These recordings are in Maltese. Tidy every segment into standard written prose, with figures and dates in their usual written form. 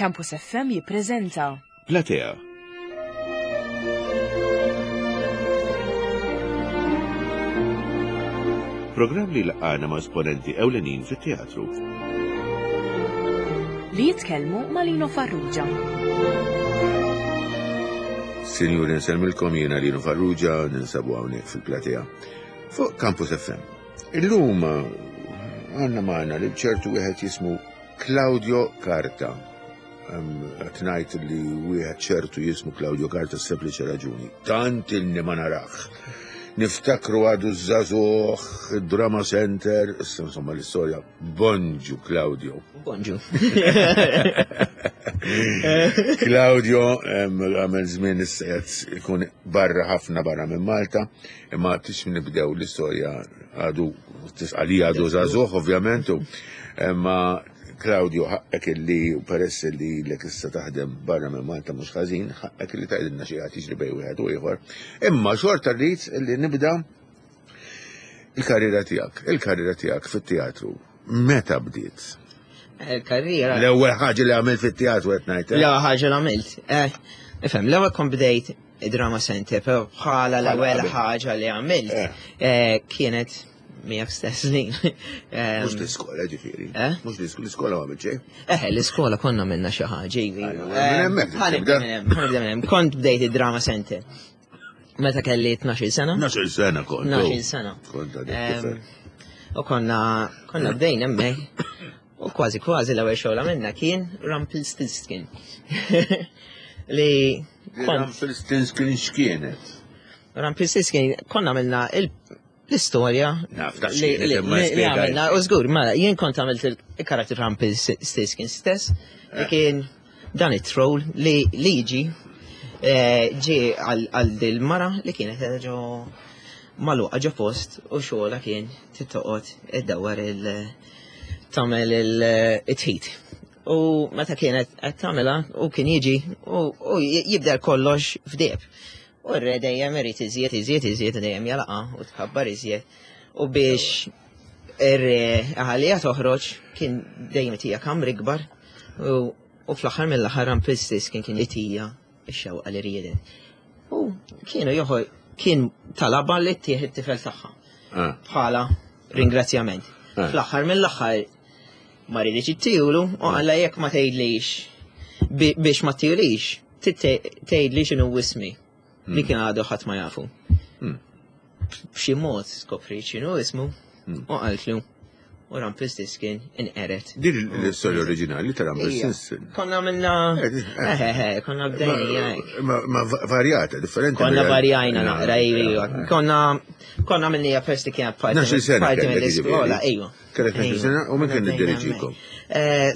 Campus FM jippreżenta. Platea. Programm li laqgħana ma' esponenti ewlenin fit-teatru. Li jitkellmu ma' Lino Farrugia. Sinjuri, nsellmilkom jiena Lino Farrugia, ninsabu hawnhekk fil-platea fuq Campus FM. Illum għandna magħna lil ċertu wieħed jismu Claudio Carta. Qed ngħid li wieħed ċertu jismu Claudio Carta sempliċi raġuni. Tant ilni ma narax. Niftakru għadu żagħżugħ, Drama Center, issa insomma l-istorja. Bonġu Claudio. Bonġu. Claudio għamel żmien issa qed ikun barra ħafna barra minn Malta, imma tix nibdew l-istorja għadu tisqali għadu żagħżugħ ovvjament, imma Claudio ħaqqek illi peress li lek issa taħdem barra minn Malta mhux ħażin, ħaqqek illi tgħidilna xi ħadd jiġri bejn wieħed u ieħor. Imma xorta rrid illi nibda il-karriera tiegħek, il-karriera tiegħek fit-teatru. Meta bdiet? Il-karriera. L-ewwel ħaġa li għamilt fit-teatru qed ngħid. Eh? L-ewwel ħaġa li għamilt. Eh, ifhem, l-ewwel kont bdejt drama center, però bħala l-ewwel ħaġa li għamilt eh. kienet miegħek stess li. Mhux l-iskola ġifieri. Eh? Mhux l-iskola ma għamilt xejn. Eh, l-iskola konna minna xi ħaġa, ivi. Minn hemmhekk. Kont bdejt id-drama center. Meta kelli 12 sena. 12 sena kont. 12 sena. Kont għadek. U konna konna bdejna hemmhekk. U kważi kważi l-ewwel xogħol għamilna kien Rumpelstiltskin. Li Rumpelstiltskin x'kienet? Rumpelstiltskin konna għamilna l-istorja li għamilna, u żgur, mela, jien kont għamilt il-karattru Rumpelstiltskin stess, li eh. kien dan it-troll li liġi eh, ġi għal dil-mara li kienet ġo maluqa ġo post u xogħla kien tittoqgħod iddawwar il tagħmel il-tħit. U meta kienet qed tagħmilha u kien jiġi u jibdel kollox f'deb. U r-re dejjem irid iżjed, iżjed, iżjed, dejjem jalaqa u tkabbar iżjed. U biex ir-re għalija toħroġ kien dejjem itija kamri kbar u fl-aħħar mill-aħħar Rampistis kien kien itija x-xewqa li riedet. U kienu joħor kien talaba li ttieħ it-tifel tagħha. Ah. Bħala ringrazzjament. Ah. Fl-aħħar mill-aħħar ma rridx ittijulu u qalla jekk ma tgħidlix biex ma tijulix tgħidli x'inhu ismi li hmm. kien għadu ħadd ma jafu. Hmm. B'xi mod skopri x'inhu ismu hmm. u qaltlu u Rumpelstiltskin inqeret. Din l-istorja oriġinali ta' Rumpelstiltskin. Konna għamilna, eh, eh, eh, konna bdejna. Ma varjata, differenti. Konna varjajna naqra, iva. Konna konna għamilna first li kienet parti mill-iskola, iva. Kellek sena u minn kien id-diriġikom?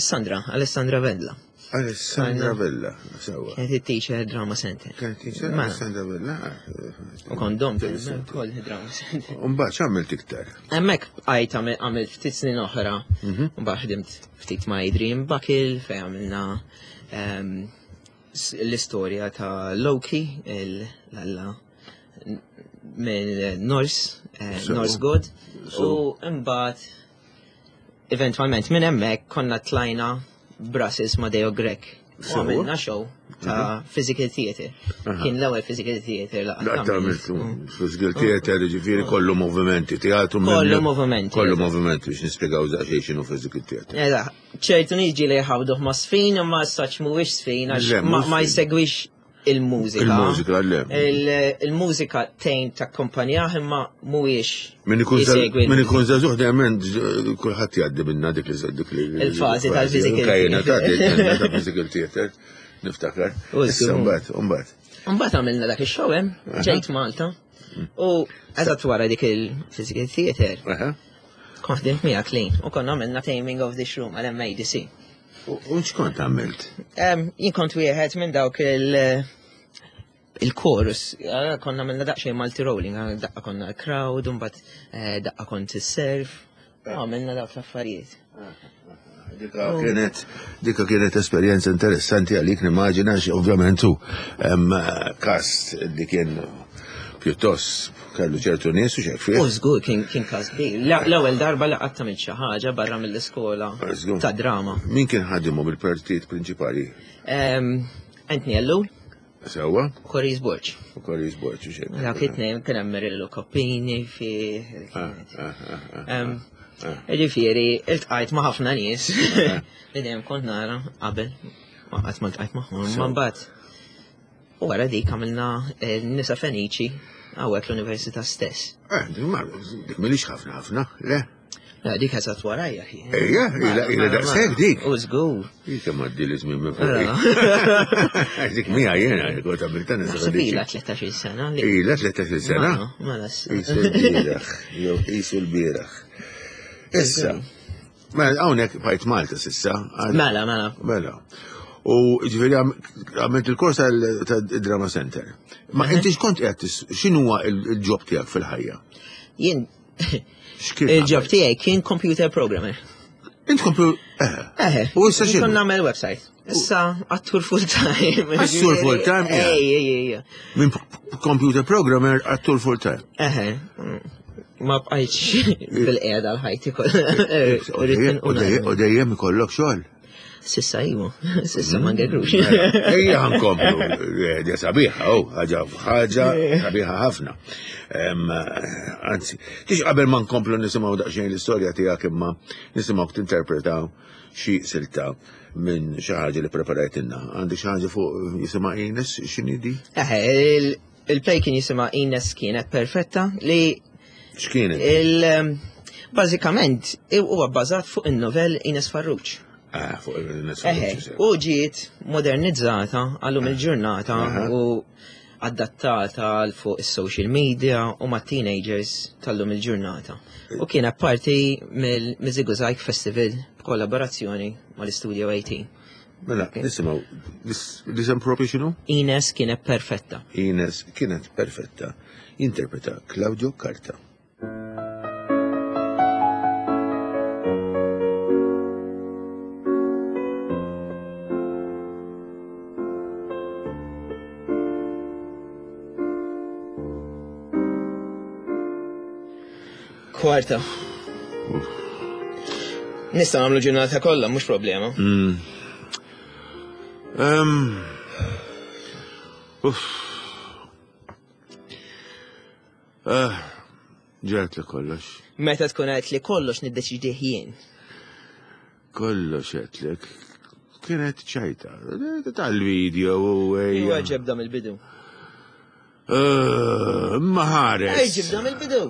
Sandra, Alessandra Vella. Alessandra Vella, sewa. Kienet it-teacher Drama Center. Kienet teacher Alessandra Vella. U kondom, kol Drama Center. Umbagħad x'għamilt iktar? Hemmhekk bqajt għamilt ftit snin oħra, mhm. mbagħad ħdimt ftit ma' Adrian Buckle fejn għamilna ehm, l-istorja ta' Loki, l-alla minn Norse, eh, Norse God, u mbagħad Eventwalment minn hemmhekk konna tlajna Brussels ma' Deo Grek. U għamilna show ta' mhm. physical theater. Kien l-ewwel physical theater laqgħa. Laqgħa għamiltu physical theater, ġifieri kollu movimenti, teatru. Kollu movimenti. Kollu movimenti biex nispjegaw daqsxejn x'inhu physical theater. Eżatt, ċertu niġi li jħawduh ma' sfin imma saċ mhuwiex sfin għax ma jsegwix il-mużika. Il-mużika, le. Il-mużika tejn ta' kompanjah imma mhuwiex. Min ikun żagħżugħ dejjem kulħadd jgħaddi minna dik li dik li. Il-fażi tal-physical. Kajna ta' physical theater, niftakar. Issa mbagħad, mbagħad. Mbagħad għamilna dak ix-show hemm, ġejt Malta. U eżatt wara dik il-physical theater. Kont ħdimt miegħek lin u konna għamilna Taming of the Shroom għal MADC. U x'kont għamilt? Jien kont wieħed minn dawk il- il-chorus, eh, konna minna daqxej multi rolling, eh, daqqa konna crowd, mbagħad eh, daqqa kont is-serf, u għamilna dawk l-affarijiet. Dika kienet dika kienet esperjenza interessanti għalik nimmaġina ovvjament hu kast li kien. pjuttost kellu ċertu nies u xek fih. U żgur kien kien każ kbir. L-ewwel darba li qatt tagħmel xi ħaġa barra mill-iskola ta' drama. Min kien ħadimhom il-partit prinċipali? Anthony Ellul. Sewwa. Koris Borg. U Koris Borg u xejn. Dak it-tnejn kien hemm Merillo Coppini fi. Ah, ah, ah, Ġifieri, iltqajt ma' ħafna nies li dejjem kont nara qabel ma qatt ma ltqajt magħhom. Ma mbagħad u wara dik għamilna eh, nisa Feniċi hawnhekk l-università stess. Eh, dik milix ħafna ħafna, le? La, dik eżatt warajja. Ejja, ila ila daqshekk dik. U żgur. Dik kemm għaddi li żmien minn fuq. Dik mija jiena kont għamilt nisa Feniċi. Ila 13 sena. Ila 13 sena? Mela. Isu l-bieraħ, jew isu l-bieraħ. Issa, mela hawnhekk bajt Malta sissa. Mela, mela. Mela. U ġifieri għamilt il-kors tal-Drama Center. Ma inti x'kont qed x'inhuwa il-ġob tiegħek fil-ħajja? Jien Il-ġob tiegħi kien computer programmer. Int computer eh. eh. U issa x'inhu? Kont nagħmel website. Issa attur full time. Attur full time? Ej, ej, ej. Minn computer programmer attur full time. Eħe. Ma bqajtx bil-qiegħda l-ħajti kollha. U dejjem ikollok xogħol. Sissa iwa, sissa ma ngegrux. Mela, ejja ħankomplu, eh, sabiħa, oh, ħaġa ħaġa sabiħa ħafna. Anzi, tix qabel ma nkomplu nisimgħu daqsxejn l-istorja tiegħek imma nisimgħu tinterpreta xi silta minn xi ħaġa li preparajtilna. Għandi xi ħaġa fuq jisimha Ines, x'inhi di? Eħe, il-play kien jisimha Ines kienet perfetta li X'kienet? Il bażikament huwa bbażat fuq in-novell Ines Farrugia. Ah, fuq Ines Farrugia. U ġiet modernizzata għallum il-ġurnata u adattata għal fuq is-social media u ma' teenagers tal-lum il-ġurnata. U kienet parti mill-Żigużajg Festival b'kollaborazzjoni mal-Studio 18. Mela, nisimgħu, l-isem propju x'inhu? Ines kienet perfetta. Ines kienet perfetta. Jinterpreta Claudio Carta. Kwarta. Nista' nagħmlu ġurnata kollha, mhux problema. Mm. Um, uff. Ah, ġert li kollox. Meta tkun għedt li kollox niddeċidih jien. Kollox għedtlek. Kienet ċajta. Tal-video u ejja. Ġebda mill-bidu. Eh, ma ħares. Ej, ġibda mill-bidu.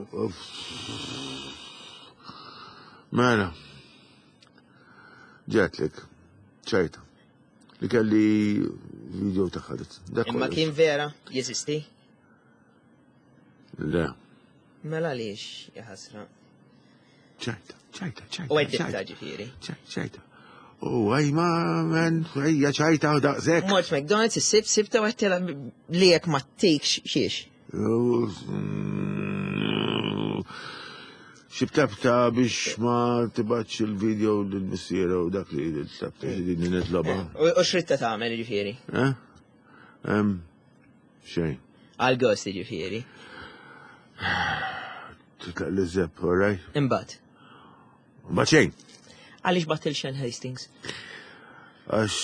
Mela. Ġetlek. ċajta. Li kelli video ta' ħadet. Imma kien vera, jeżisti? Le. Mela għaliex, jaħasra. ċajta, ċajta, ċajta. U għeddibta ġifieri. ċajta. U għaj ma, men, ejja ċajta u daqsek. Mort McDonald's, is-sib, sibta u għettela li jek ma tikx xiex. Xibtabta biex ma tibatx il-video l-missiera u dak li tabta li nitloba. U xritta tagħmel ġifieri? Eh? Xejn. Għal gost ġifieri. Titlaq li zepp, all right? Imbagħad. Imbagħad xejn. Għaliex bat il-Shen Hastings? Għax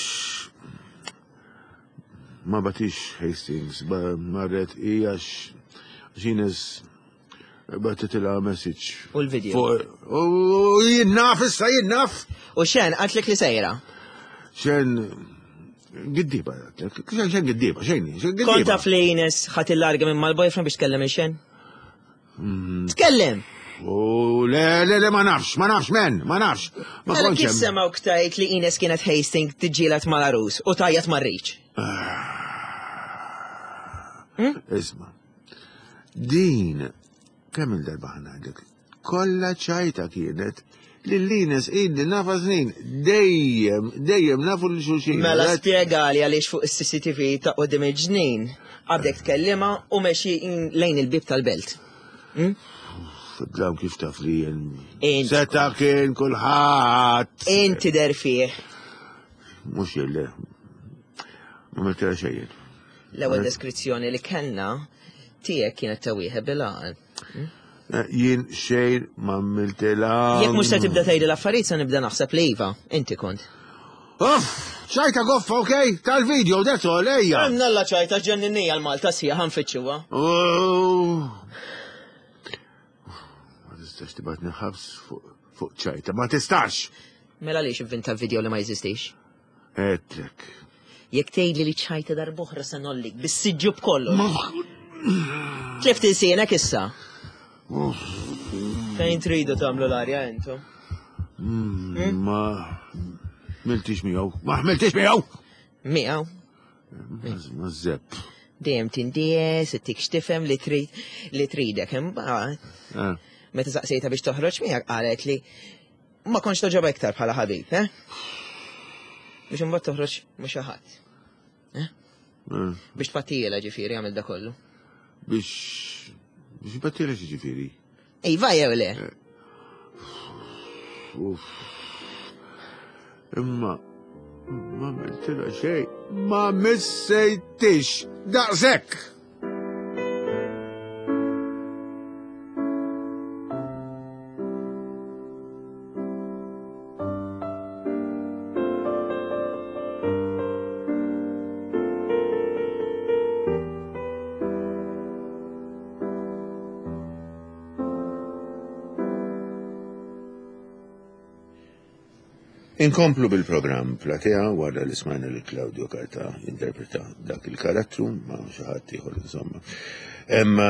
ma batix Hastings, marret i għax Ines Battitilha message. U l-video. U jien naf issa jien naf. U xen għatlek li sejra. Xen giddiba, xen xen giddiba, xejn, xen giddiba. Kont taf li Ines ħat il-larga minn mal-boyfriend biex tkellem il-xen? Mm. Tkellem! U le, le, le, ma nafx, ma nafx, men, ma nafx. Ma mela kontx kif hemm. semgħu ktajt li Ines kienet Hastings tiġġieled mal-arus u tajjat mar-riċ? Ah. Isma. Din, kemm il-darba ħanajdlek, kollha ċajta kienet li l-Ines inni nafa snin, dejjem, dejjem nafu li xulxin. Mela spjegali għaliex fuq is-CCTV ta' qudiem il-ġnien għadek tkellima u meċi lejn il-bib tal-belt. Hmm? Fidlam kif taf li jen. Seta kien kulħadd. Inti der fih. Mhux jelle. Ma meta xejn. L-ewwel deskrizzjoni li kellna. tiegħek kienet ta' wieħed bil-għaqal. Hmm? Eh, jien xejn ma għamiltilha. Jekk mhux se tibda tgħid l-affarijiet se nibda naħseb li iva, inti kont. Uff, ċajta goffa, ok? Tal-video, that's all, ejja. Nalla ċajta ġenninija l-Malta sija ħanfittxuha. Oh. Ma tistax tibatni ħabs fuq ċajta, ma tistax! Mela lix ivvinta video li ma jeżistix? Għedtlek. Jekk tgħidli li ċajta darb'oħra se nollik bis-siġġu b'kollox. Tlift ilsienek issa. Fejn tridu tagħmlu l-arja intom? Mm, hmm? Ma miltix miegħu. Ma ħmiltix miegħu! Miegħu. Ma zepp. Dejjem tindies, ittik x'tifhem li trid li tridek imbagħad. Eh. Meta saqsejta biex toħroġ miegħek qalet li ma kontx toġoba iktar bħala ħabib, eh? Biex imbagħad toħroġ ma' xi ħadd. Eh? eh. Biex tpattijela ġifieri għamil da kollu. Biex biex tpattijela ġifieri. Iva jew le? Eh. Uff. Imma ma għamiltilha xejn. Ma missejtix daqshekk. Inkomplu bil-programm Platea wara li smajna li Claudio Carta jinterpreta dak il-karattru ma' xi ħadd ieħor insomma. Imma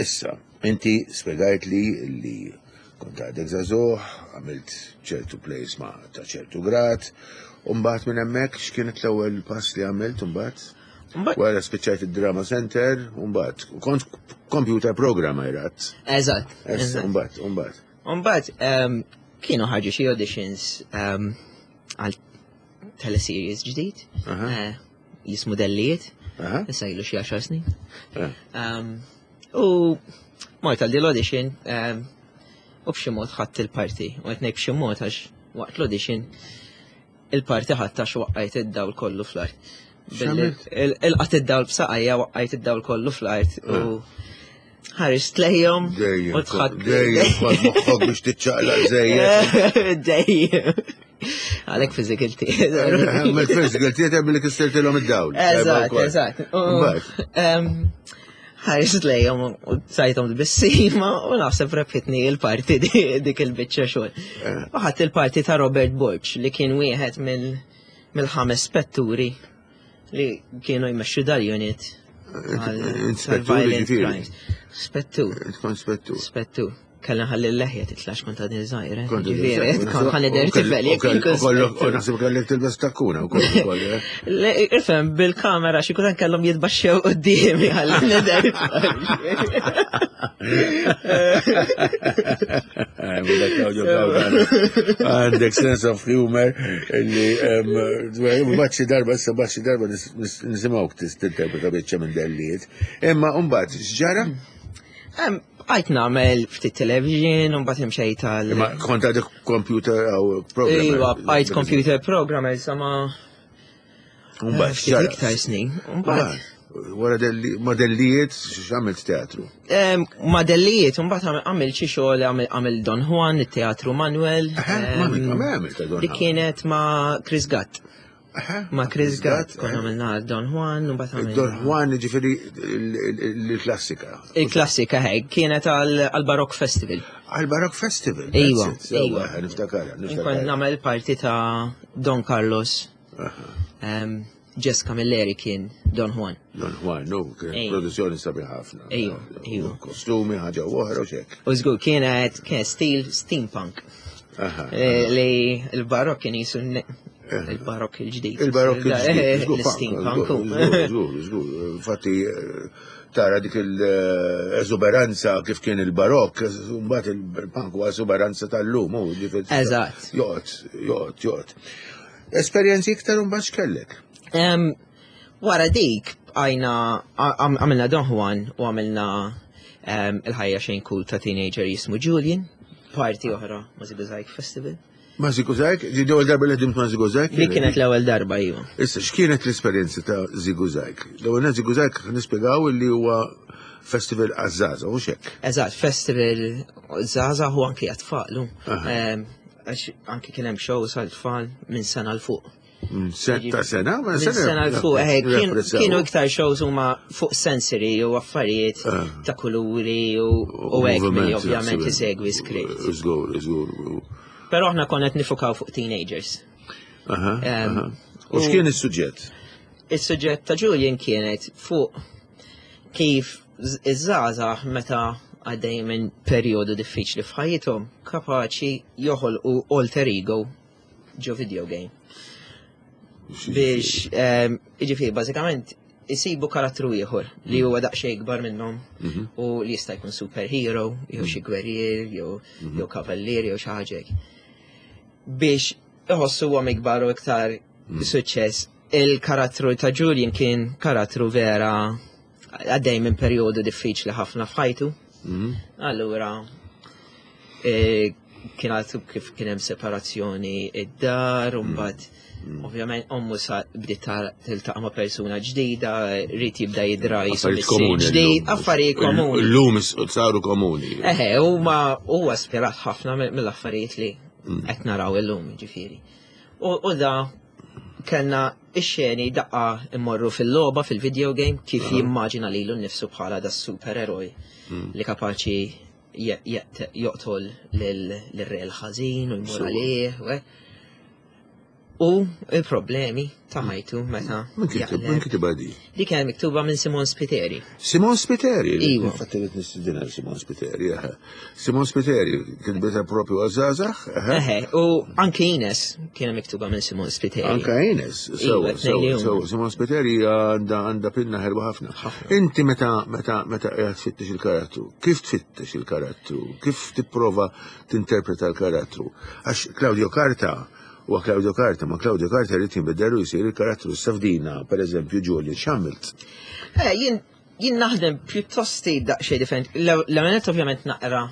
issa, inti spjegajt li li kont għadek żagħżugħ, għamilt ċertu plays ma' ta' ċertu grad, u mbagħad minn hemmhekk x'kienet l-ewwel pass li għamilt mbagħad? Wara spiċċajt id-Drama Center, u mbagħad kont computer programmer għad. Eżatt. Issa, mbagħad, mbagħad. Mbagħad ehm, kienu ħarġu xi auditions ehm, għal teleseries ġdid eh, jismu Dellijiet, issa ilu xi għaxar snin. Eh. Ehm, u mort għal l-audition u b'xi mod ħadd il-parti, u qed ngħid b'xi mod għax waqt l-audition il-parti ħadd għax waqqajt id-dawl kollu fl-art. Il-qat id-dawl b'saqajja waqqajt id-dawl kollu fl-art u eh. ħarist lejhom u tħadd. Dejjem kont moħħok biex tiċċaqlaq żejjed. Dejjem. Għalhekk physical theater. Għamil physical theater billi kistirtilhom id-dawl. Eżatt, eżatt. Ħarist lejhom u sajthom bissima u naħseb rebħitni il-parti dik il-biċċa xogħol. Eh. U ħadd il-parti ta' Robert Borg li kien wieħed mill-ħames spetturi li kienu jmexxu dal-unit. Inspettur ġifieri. Spettur. Tkun spettur. Spettur. Kellna ħalli l-leħja titlax kont għadni żgħir. Eh? Ġifieri, kont ħalli der tifel jekk U naħseb kellek tilbes takkuna wkoll ukoll. Eh? Ifhem bil-kamera xi kultant kellhom jitbaxxew quddiemi ħalli nidher. Għandek sense of humor li baċċi darba, issa baċċi darba nisimgħuk tinterpreta biċċa minn dellijiet. Imma mbagħad x'ġara? Għajt nagħmel ftit television, u mbagħad imxejt tal. Imma kont għadek computer għaw programmer. Iva, għajt computer programmer sama. Mbagħad ftit iktar snin. Mbagħad. Wara modellijiet x'għamilt teatru? Modellijiet, mbagħad għamilt xi xogħol għamil Don Juan, it-teatru Manuel. Li kienet ma' Chris Gatt. Ma' Chris Gatt, konna għamilna Don Juan, u mbagħad Don Juan ġifieri il-klassika. Il-klassika hej, kienet għal-Barok Festival. Għal-Barok Festival? Iva, iva. Niftakar, niftakar. Kont nagħmel parti ta' Don Carlos. Jess Camilleri kien Don Juan. Don Juan, no, kien produzzjoni sabiħ ħafna. Ejju, ejju. Kostumi, ħaġa oħra u xek. U żgur kienet kien stil steampunk. Eh, li l-barok kien jisu il-barok il-ġdid. Il-barok il-ġdid. Eh, l-steampunk. Żgur, żgur. Infatti, eh, tara dik l-eżuberanza kif kien il-barok, mbagħad il-punk huwa eżuberanza tal-lum. Eżatt. Joqgħod, joqgħod, joqgħod. Esperjenzi iktar un x'kellek? Wara dik, għajna, għamilna Don Juan u għamilna il-ħajja xejn cool ta' teenager jismu Julian, parti oħra ma' Zigozajk Festival. Ma' Zigozajk? Di l-ewwel darba li ħdimt ma' Zigozajk? Li kienet l-ewwel darba, iva. Issa, x'kienet l-esperjenza ta' Zigozajk? L-ewwel Zigozajk nispjegaw li huwa festival għaż-żgħażagħ u xek. Eżatt, festival żgħażagħ u anki għat-tfal. Għax anki kien hemm shows għal-tfal minn sena 'l fuq. Setta sena? Minn sena 'l fuq, eh, kienu iktar shows huma fuq sensory u affarijiet eh. ta' kuluri u hekk milli ovvjament isegwi script. Żgur, żgur. Però aħna konna qed nifukaw fuq teenagers. U x'kien is-suġġett? Is-suġġett ta' Julian kienet fuq kif iż-żgħażagħ meta għaddej minn perjodu diffiċli f'ħajjithom kapaċi joħolqu alter ego ġo video game. Biex, ehm, jiġifieri bażikament isibu karattru ieħor li huwa daqsxejn ikbar minnhom mhm. u li jista' jkun superhero, jew xi gwerrier, jew mhm. jew kavallier, jew xi ħaġa Biex iħossuhom ikbar u iktar mhm. suċċess. Il-karattru ta' Julian kien karattru vera għaddej minn perjodu diffiċli ħafna f'ħajtu. Allura, e, kien għadu kif kien hemm separazzjoni id-dar, u mbagħad mm. ovvjament ommu sa bdiet tiltaqa' ma' persuna ġdida, rrid jibda jidra jisu ġdid, affarijiet komuni. Illum saru komuni. Eħe, huma huwa spirat ħafna mill-affarijiet li mm. qed naraw illum, ġifieri. U da kellna ix-xeni daqqa immorru fil-logħba fil-video game kif jimmaġina lilu nnifsu bħala da supereroj mm. li kapaċi joqtol lil-re l-ħażin u jmur għalih. U il-problemi ta' ħajtu meta. Min kitibha di? Di kien miktuba minn Simon Spiteri. Simon Spiteri? Iva. Infatti li nistidina Simon Spiteri. Simon Spiteri, kien bita propju għazzazax? Eħe, u anke Ines kien miktuba minn Simon Spiteri. Anke Ines, sewa, sewa, Simon Spiteri għanda għanda pinna ħelwa ħafna. Inti meta meta meta qiegħed tfittex il-karattru, kif tfittex il-karattru, kif tipprova tinterpreta l-karattru? Għax Claudio Carta Huwa Claudio Carta, ma Claudio Carta jrid jinbidel u jsir il-karattru issa f'dina, pereżempju Julian x'għamilt? Eh, jien jien naħdem pjuttost daqsxejn differenti. L-għamenet ovvjament naqra,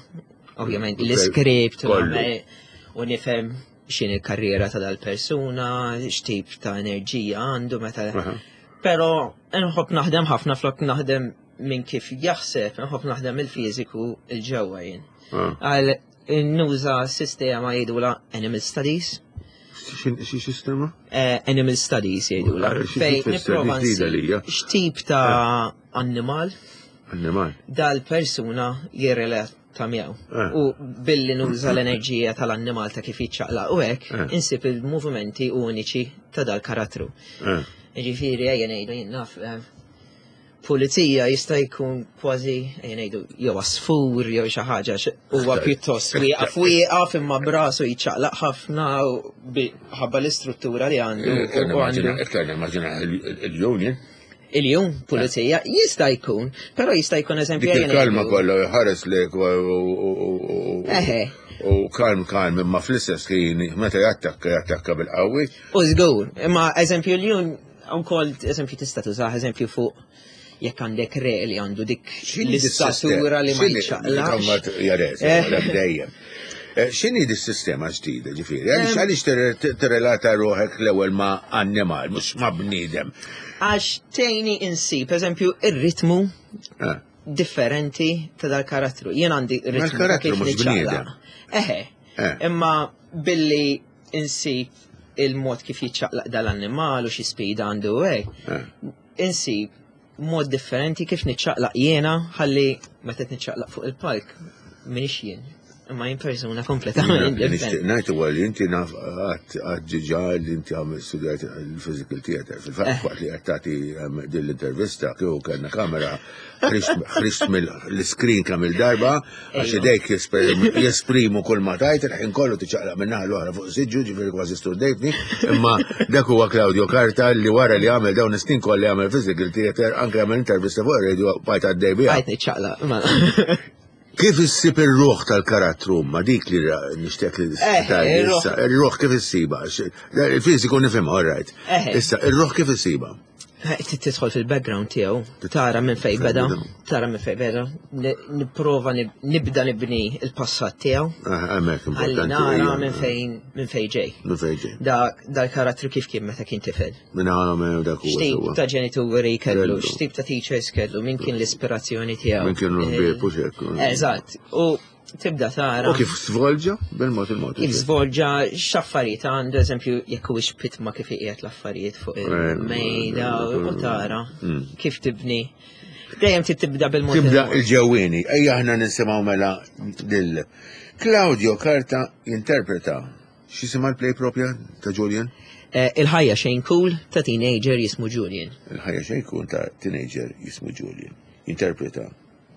ovvjament l-iskript u nifhem x'in il-karriera ta' dal-persuna, x'tip ta' enerġija għandu meta. Però nħobb naħdem ħafna flok naħdem minn kif jaħseb, nħobb naħdem il-fiżiku il-ġewwa jien. Ah. Għal Nuża sistema jgħidula Animal Studies. Xi sistema? Eh, Animal Studies jgħidula. Ah, Fej nipprova x'tip ta' eh. annimal. Annimal. Dal-persuna jirrelata miegħu. Eh. U billi nuża l-enerġija tal-annimal ta' kif jiċċaqlaq u hekk insib il-movimenti uniċi ta' dal-karattru. Ġifieri ejja ngħidu jien naf Pulizija jista' jkun kważi ejja ngħidu jew għasfur jew xi ħaġa huwa pjuttost wieqaf wieqaf imma brasu jiċċaqlaq ħafna ħabba l-istruttura li għandu. Iktar nimmaġina il-union. Il-jum, pulizija, jista' jkun, però jista' jkun eżempju. Dik il-kalma kollha jħares lek u kalm kalm imma fl-istess ħin meta jattakka jattakka bil-qawwi. U żgur, imma eżempju l-jum Ukoll, eżempju, tista' tużah eżempju fuq jekk għandek re li għandu dik l-istatura li ma jiċċaqlax. Eh. Dejjem. Eh, x'inhi di sistema ġdida ġifieri? Għaliex għaliex tirrelata ruħek l-ewwel ma' annimal, mhux ma' bniedem? Għax tgħinni insib, eżempju, ir-ritmu eh. differenti ta' dal-karattru. Jien għandi ritmu ta' kif niċċaqlaq. Eħe. Imma billi insib il-mod kif jiċċaqlaq dal-annimal u xi speed għandu hekk. Eh. Insib mod differenti kif niċċaqlaq jiena ħalli meta niċċaqlaq fuq il-palk minix jien. Imma jien persuna kompletament differenti. Ngħid huwa li inti naf għad ġiġa li inti għamil studjajt il-physical theater. Fil-fatt eh. waqt li qed tagħti ehm, din l-intervista kieku kellna kamera ħriġt mill-screen kemm il-darba Għax idejk jesprimu kull ma tajt, il-ħin kollu tiċaqlaq minn naħa l-oħra fuq siġġu, ġifieri kważi sturdejtni, imma dak huwa Claudio Carta li wara li għamel dawn is-snin kollha għamel physical theater, anke għamel intervista fuq ir-radio bajt għaddej biha. Bajt niċċaqlaq. Kif issib ir-ruħ tal-karattru ma dik li nixtieq li eh, issa, ir-ruħ kif issiba? Il-fiżiku nifhem, all right. Eh. Issa, ir-ruħ kif issiba? Tidħol fil-background tiegħu, tara minn fejn beda, tara minn fejn beda, nipprova nibda nibni il-passat tiegħu. Ah, hemmhekk importanti. Nara minn fejn minn fejn ġej. Minn fejn ġej. Da dal-karattru kif kien meta kien tifel. Minn għamel dak huwa. X'tip ta' ġenituri kellu, x'tip ta' teachers kellu, min kien l-ispirazzjoni tiegħu. Min kienu l-ħbieb u xekk. Eżatt. U tibda tara. U kif svolġa bil-mod il-mod. Kif svolġa x'affarijiet għandu, eżempju, jekk huwiex pitma kif iqiegħed l-affarijiet fuq eh, il-mejda u tara mm. kif tibni. Dejjem trid tibda bil-mod. Tibda il-ġewwieni. Ejja aħna nisimgħu mela lil Claudio Carta jinterpreta X'jisimha l-play propja ta' Julian? Eh, il-ħajja xejn cool ta' teenager jismu Julian. Il-ħajja xejn cool ta' teenager jismu Julian. Jinterpreta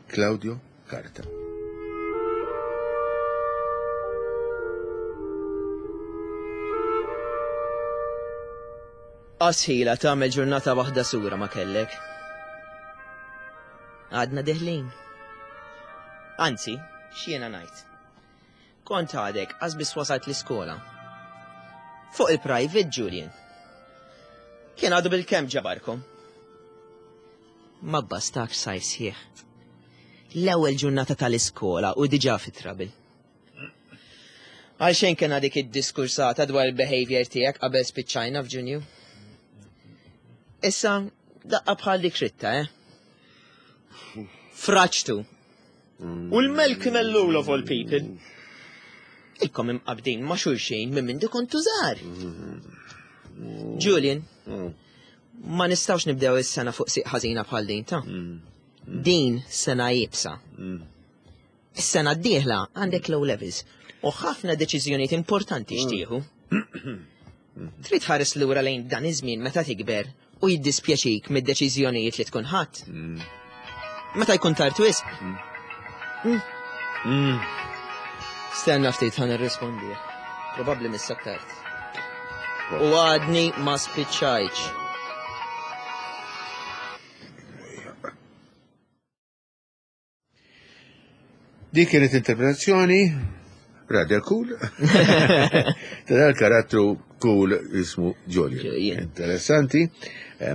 Claudio Karta. Qasħila tagħmel ġurnata waħda sura ma kellek. Għadna deħlin. Anzi, x'jiena ngħid. Kont għadek qas biss wasalt l-iskola. Fuq il-private Julian. Kien għadu bil-kemm ġabarkom. Ma bastakx sajf sħiħ. L-ewwel ġurnata tal-iskola u diġà fi trouble. Għalxejn kena dik id-diskursata dwar il-behavior tiegħek qabel spiċċajna f'Ġunju. Issa, daqqa bħal dik ritta, eh? Fraċtu. U l-Malcolm Ellul of all people. Ilkom imqabdin ma' xulxin minn mindu kontu żgħar. Julian, ma nistgħux nibdew is-sena fuq siq ħażina bħal din ta'. Din sena iebsa. Is-sena d-dieħla għandek low levels u ħafna deċiżjonijiet importanti xtieħu. Trid tħares lura lejn dan iż-żmien meta tikber u jiddispjaċik mid-deċiżjonijiet li tkun ħadd. Meta jkun tard wisq. Mm. Mm. Stenna ftit ħan irrispondi. Probabbli missa tard. U għadni ma spiċċajtx. Dik kienet interpretazzjoni rather cool. Ta' dal-karattru cool jismu Julian. Interessanti. Eh,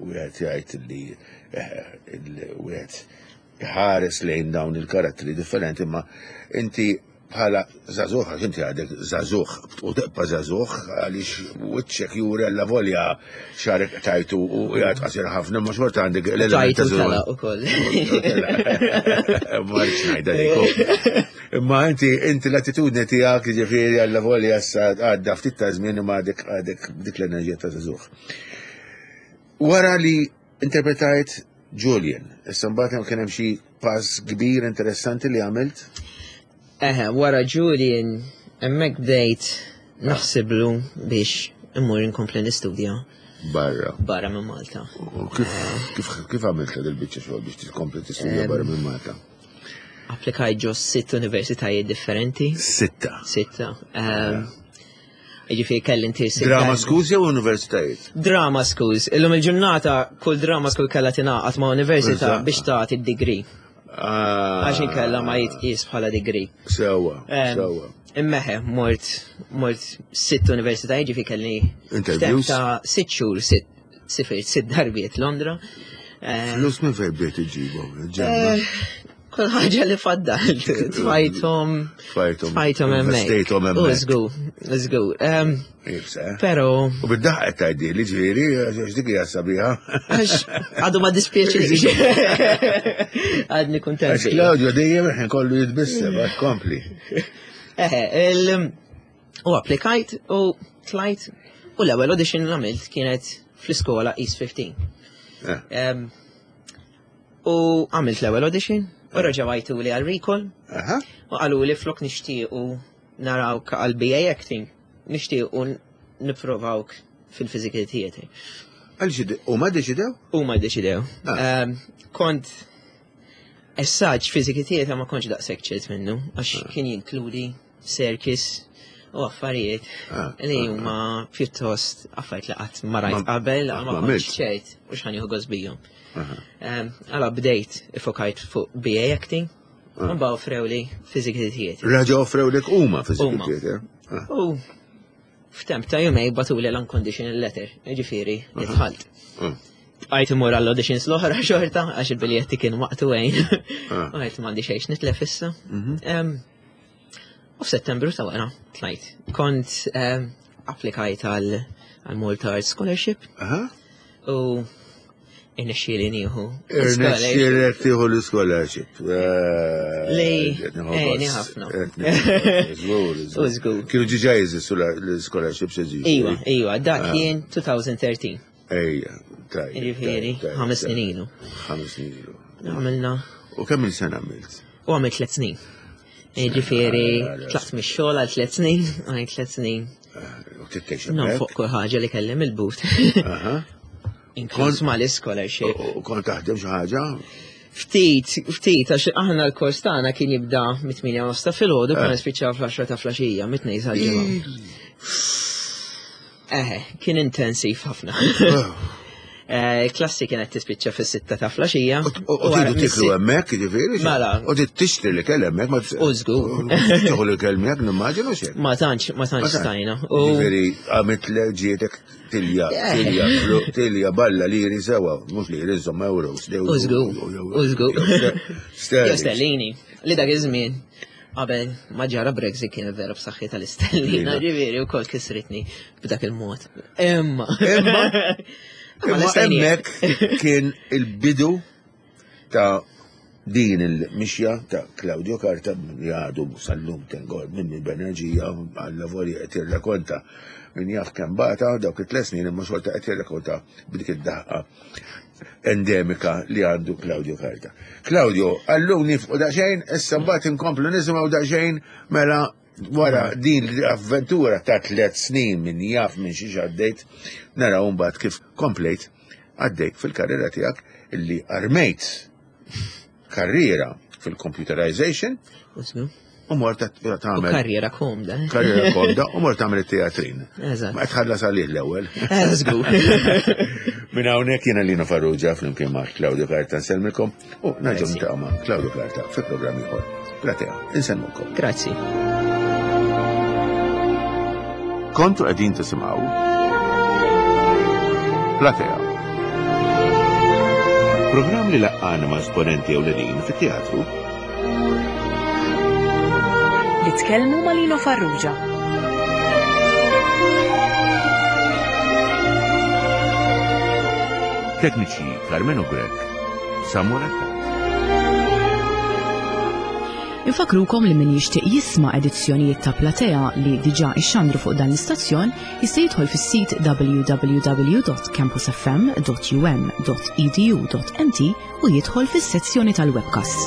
wieħed jgħid li eh, wieħed ħares lejn dawn il-karattri differenti, ma inti Bħala żagħżugħ, għax inti għadek żagħżugħ u tibqa' żagħżugħ għaliex wiċċek juri alla volja xarek tajtu u jgħad qasir ħafna, ma xorta għandek l-element ta' żagħżugħ. ukoll. Ma rridx ngħidha dik. Imma inti inti l-attitudni tiegħek jiġifieri alla volja issa għadda ftit ta' żmien imma għadek għadek dik l-enerġija ta' żagħżugħ. Wara li interpretajt Julian, issa mbagħad kien hemm xi pass kbir interessanti li għamilt? Eħe, wara Julian, hemmhekk bdejt naħsiblu biex immur inkompli nistudja. Barra. Barra minn Malta. U kif, kif, kif għamilt il-biċċa xogħol biex tkompli tistudja barra minn Malta? Applikajt ġo sitt universitajiet differenti. Sitta. Sitta. Ehm, Ġifieri kelli inti Drama schools jew universitajiet? Drama schools. Illum il-ġurnata kull drama school kellha tingħaqad ma' università biex tagħti d-degree. Ah. Għax inkella ma jitqies bħala degree. Sewwa, sewwa. Immeħe, mort, mort sitt universitajiet, ġifieri kelli Interviews? ta' sitt xhur, sitt sifirt sitt darbiet Londra. Flus minn fejn bdejt iġibhom? Ġenna. Eh, kull ħaġa li faddal, tfajthom. Tfajthom. Tfajthom hemmhekk. Investejthom hemmhekk. Żgur, żgur. Eh? Però. U bid-daħq qed tgħidli li ġifieri għax dik hija sabiħa. Għax għadu ma dispjaċinix. Għadni kuntent. Għax Claudio dejjem ħin kollu jitbissem, għax kompli. Eh, il U applikajt u tlajt u l-ewwel audition li għamilt kienet fl-iskola East 15. Eh. U għamilt l-ewwel audition u eh. reġgħu għajtu li għal recall. U qalu li flok nixtiequ narawk għal BA acting, nixtiequ nipprovawk fil-physical theater. Għaliex huma ddeċidew? Huma ddeċidew. Ah. Kont Essaġ physical theater ma kontx daqshekk ċert minnu, għax ah. kien jinkludi circus u affarijiet ah, li ah, huma ah. pjuttost affarijiet li qatt ma rajt qabel, ma kontx ċert u x'ħan jieħu gost bihom. Għala bdejt ifokajt fuq BA acting, u mbagħad offrew li physical theater. Raġa offrew lek huma physical theater. U F'temp ta' jumej batuli l-unconditional letter, ġifieri, idħalt. Bqajt imur għall-auditions l-oħra xorta, għax il-biljetti kienu maqtuwejn. Ah. U għajt m'għandi xejn nitlef issa. Mhm. U f'Settembru ta' wara tlajt. Kont applikajt għal Malta Arts Scholarship. U irnexxieli nieħu. Irnexxielek tieħu l-scholarship. Eh, Li, eh, ħafna. Żgur. Kienu ġiġa jeżistu l-scholarships jeżistu. Iva, iva, dak ah. kien 2013. Ejja, tajjeb. Jiġifieri, ħames snin ilu. Ħames snin ilu. Għamilna. U kemm il-sena għamilt? U għamilt tliet snin. Ġifieri, tlaqt mix-xogħol għal tliet snin, għal tliet snin. Eh, u tittex. Non fuq kull ħaġa li kelli mill-but. Inkluż mal-scholarship. U kont taħdem xi ħaġa? Ftit, ftit, għax aħna l-kors tagħna kien jibda mit-8 nofs ta' filgħodu, kien eh. nispiċċaw fl-10 ta' flaxija, mit-tnejn sal-ġimgħa. Eħe, kien intensiv ħafna. Eh, klassi kienet tispiċċa fis-sitta ta' flaxija. U tridu tiklu hemmhekk, jiġifieri? Mela. U trid tixtri li kell hemmhekk ma U żgur. Tieħu li kell miegħek nimmaġinu xejn. Ma tantx, ma tantx stajna. Jiġifieri għamilt ġietek tilja, tilja, tilja balla liri sewa, mhux liri żomm euros. U żgur, u żgur. Sterlini, li dak iż-żmien qabel ma ġara Brexit kien vera b'saħħi tal-istellina, ġifieri wkoll kisritni b'dak il-mod. Imma. Imma. Imma hemmhekk kien il-bidu ta' din il-mixja ta' Claudio Carta li għadu sal-lum tengol minn b'enerġija għalla volja qed jirrakonta min jaf kemm bata dawk it-tliet snin imma xorta qed jirrakonta b'dik id-daħqa endemika li għandu Claudio Carta. Claudio, għallum nifqu daqsxejn, issa mbagħad inkomplu nisimgħu daqsxejn mela wara din l-avventura ta' tliet snin min jaf minn xiex għaddejt, naraw mbagħad kif komplejt għaddejt fil-karriera tiegħek illi armejt karriera fil-computerization u mort tagħmel. Karriera komda. Eh? Karriera komda u mort tagħmel it-teatrin. Eżatt. Ma tħallas għalih l-ewwel. Eh, żgur. Minn hawnhekk jiena Lino Farrugia flimkien ma' Claudio Carta nsellmilkom u nerġgħu niltaqgħu ma' Claudio Carta fi programm ieħor. Platea, insellmukom. Grazzi. Kontu qegħdin tisimgħu Platea. Programm li laqqana ma' esponenti ewlenin fit-teatru. Li tkellmu ma' Lino Farrugia. Tekniċi Carmenu Grech, Samuel Attard. Infakrukom li min jixtieq jisma' edizzjonijiet ta' Platea li diġà ixxandru fuq dan l-istazzjon jista' jidħol fis-sit www.campusfm.um.edu.mt u jidħol fis-sezzjoni tal-webcasts.